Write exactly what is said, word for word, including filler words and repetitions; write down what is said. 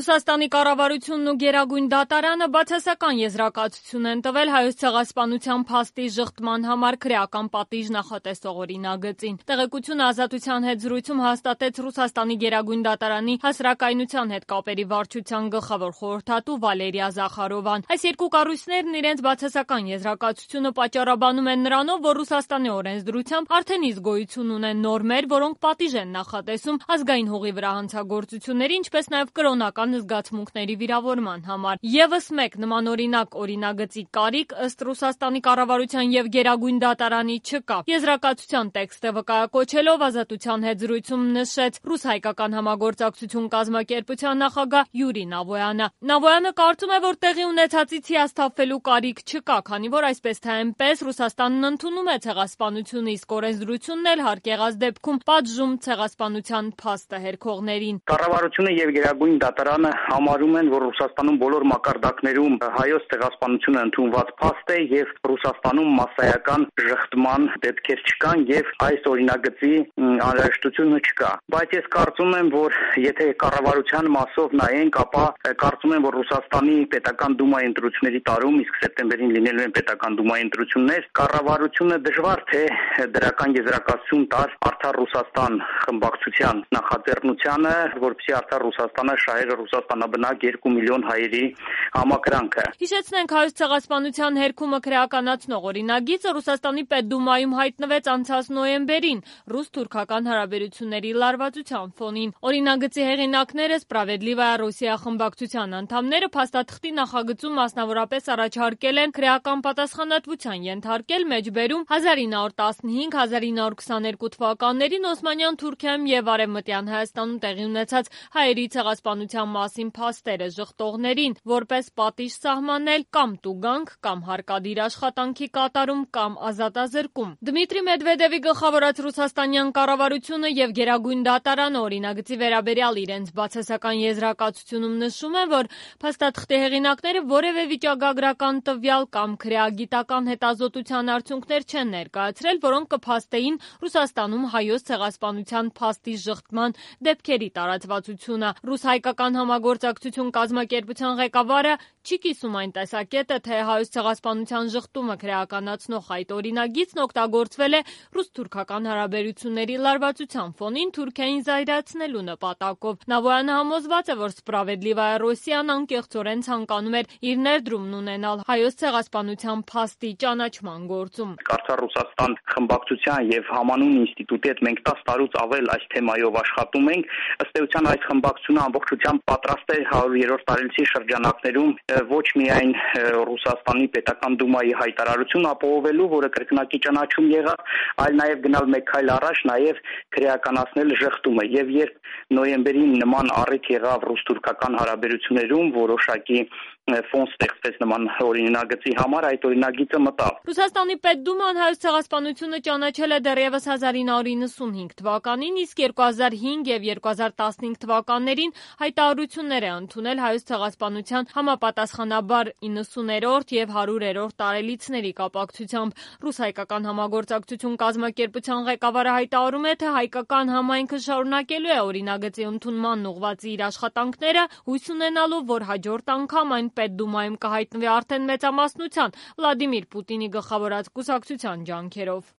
Ռուսաստանի կառավարությունն ու Գերագույն դատարանը բացասական եզրակացություն են տվել Հայոց ցեղասպանության փաստի ժխտման համար քրեական պատիժ նախատեսող օրինագծին։ Տեղեկությունը Ազատության հետ զրույցում հաստատեց Ռուսաստանի Գերագույն դատարանի հասարակայնության հետ կապերի վարչության գլխավոր խորհրդատու Վալերիա Զախարովան։ Այս երկու կառույցներն իրենց բացասական եզրակացությունը պատճառաբանում են նրանով, որ Ռուսաստանի օրենսդրությամբ արդեն իսկ գոյություն ունեն նորմեր, որոնք պատիժ են նախատեսում ազգային հողի վրա հանցագործությունների, ինչպես նաև կրոնական զգացմունքների վիրավորման համար։ Եվս մեկ նմանօրինակ օրինագծի կարիք ըստ Ռուսաստանի կառավարության եւ Գերագույն դատարանի չկա։ Եզրակացության տեքստը վկայակոչելով Ազատության հետ զրույցում նշեց ռուս-հայկական համագործակցություն կազմակերպության նախագահ Յուրի Նավոյանը։ Նավոյանը կարծում է, որ տեղի ունեցածից հիասթափվելու կարիք չկա, քանի որ այսպես թե այնպես Ռուսաստանն ընդունում է ցեղասպանությունը, իսկ օրենսդրությունն էլ հարկ եղած դեպքում պատժում ցեղասպանության փաստը հերքողներին։ Կառավարությունը եւ Գերագույն դատարանը համարում են, որ Ռուսաստանում բոլոր մակարդակներում հայոց ցեղասպանությունը ընդունված փաստ է եւ Ռուսաստանում մասսայական ժխտման դեպքեր չկան եւ այս օրինագծի անհրաժեշտությունը չկա։ Բայց ես կարծում եմ, որ եթե կառավարության մասով նայենք, ապա կարծում եմ, որ Ռուսաստանի պետական դումայի ընտրությունների տարում, իսկ սեպտեմբերին լինելու են պետական դումայի ընտրություններ, կառավարությունը դժվար թե դրական եզրակացություն տար Արդար Ռուսաստան խմբակցության նախաձեռնությանը, որպեսզի Արդար Ռուսաստանը շահեր ռուսաստանաբնակ երկու միլիոն հայերի համակրանքը։ Հիշեցնենք, Հայոց ցեղասպանության հերքումը քրեականացնող օրինագիծը Ռուսաստանի Պետդումայում հայտնվեց անցած նոյեմբերին ռուս-թուրքական հարաբերությունների լարվածության ֆոնին։ Օրինագծի հեղինակները Սպրավեդլիվայա Ռոսիա խմբակցության անդամները փաստաթղթի նախագծում մասնավորապես առաջարկել են քրեական պատասխանատվության ենթարկել մեջբերում հազար ինը հարյուր տասնհինգ - հազար ինը հարյուր քսաներկու թվականներին Օսմանյան Թուրքիայում եւ Արևմտյան Հայաստանում տեղի ունեցած հայերի ցեղասպանության մասին փաստերը ժխտողներին, որպես պատիժ սահմանել կամ տուգանք, կամ հարկադիր աշխատանքի կատարում, կամ ազատազրկում։ Դմիտրի Մեդվեդևի գլխավորած ռուսաստանյան կառավարությունը եւ Գերագույն դատարանը օրինագծի վերաբերյալ իրենց բացասական եզրակացությունում նշում են, որ փաստաթղթի հեղինակները որևէ վիճակագրական տվյալ կամ քրեագիտական հետազոտության արդյունքներ չեն ներկայացրել, որոնք կփաստեին Ռուսաստանում հայոց ցեղասպանության փաստի ժխտման դեպքերի տարածվածությունը։ Ռուս-հայկական համագործակցություն կազմակերպության ղեկավարը չի կիսում այն տեսակետը, թե հայոց ցեղասպանության ժխտումը քրեականացնող այդ օրինագիծն օգտագործվել է ռուս-թուրքական հարաբերությունների լարվածության ֆոնին Թուրքիային զայրացնելու նպատակով։ Նավոյանը համոզված է, որ Սպրավեդլիվայա Ռոսիան անկեղծորեն ցանկանում էր իր ներդրումն ունենալ հայոց ցեղասպանության փաստի ճանաչման գործում։ Արդար Ռուսաստան խմբակցության եւ համանուն ինստիտուտի հետ մենք տասը տարուց ավել այս թեմայով աշխատում ենք։ Ըստ էության այս խմբակցությունը ամբողջությամբ պատրաստ է հարյուրերորդ տարելիցի շրջանակներում ոչ միայն Ռուսաստանի պետական դումայի հայտարարություն ապահովելու, որը կրկնակի ճանաչում եղավ, այլ նաեւ գնալ մեկ քայլ առաջ, նաեւ քրեականացնել ժխտումը։ Եվ երբ նոյեմբերին նման առիթ եղավ ռուս-թուրքական հարաբերություններում, որոշակի ֆոն ստեղծվեց նման օրինագծի համար, այդ օրինագիծը մտավ։ Ռուսաստանի Պետդուման հայոց ցեղասպանությունը ճանաչել է դեռևս հազար ինը հարյուր իննսունհինգ թվականին, իսկ երկու հազար հինգ եւ երկու հազար տասնհինգ թվականներին հայտարարություններ է ընդունել հայոց ցեղասպանության համապատասխանաբար իննսուներորդ եւ հարյուրերորդ տարելիցների կապակցությամբ։ Ռուս-հայկական համագործակցություն կազմակերպության ղեկավարը հայտարարում է, թե հայկական համայնքը շարունակելու է օրինագծի ընդունմանն ուղղված իր աշխատանքները, հույս ունենալով, որ հաջորդ անգամ այն Պետդումայում կհայտնվի արդեն մեծամասնության Վլադիմիր Պուտինի գլխավորած կուսակցության ջանքերով։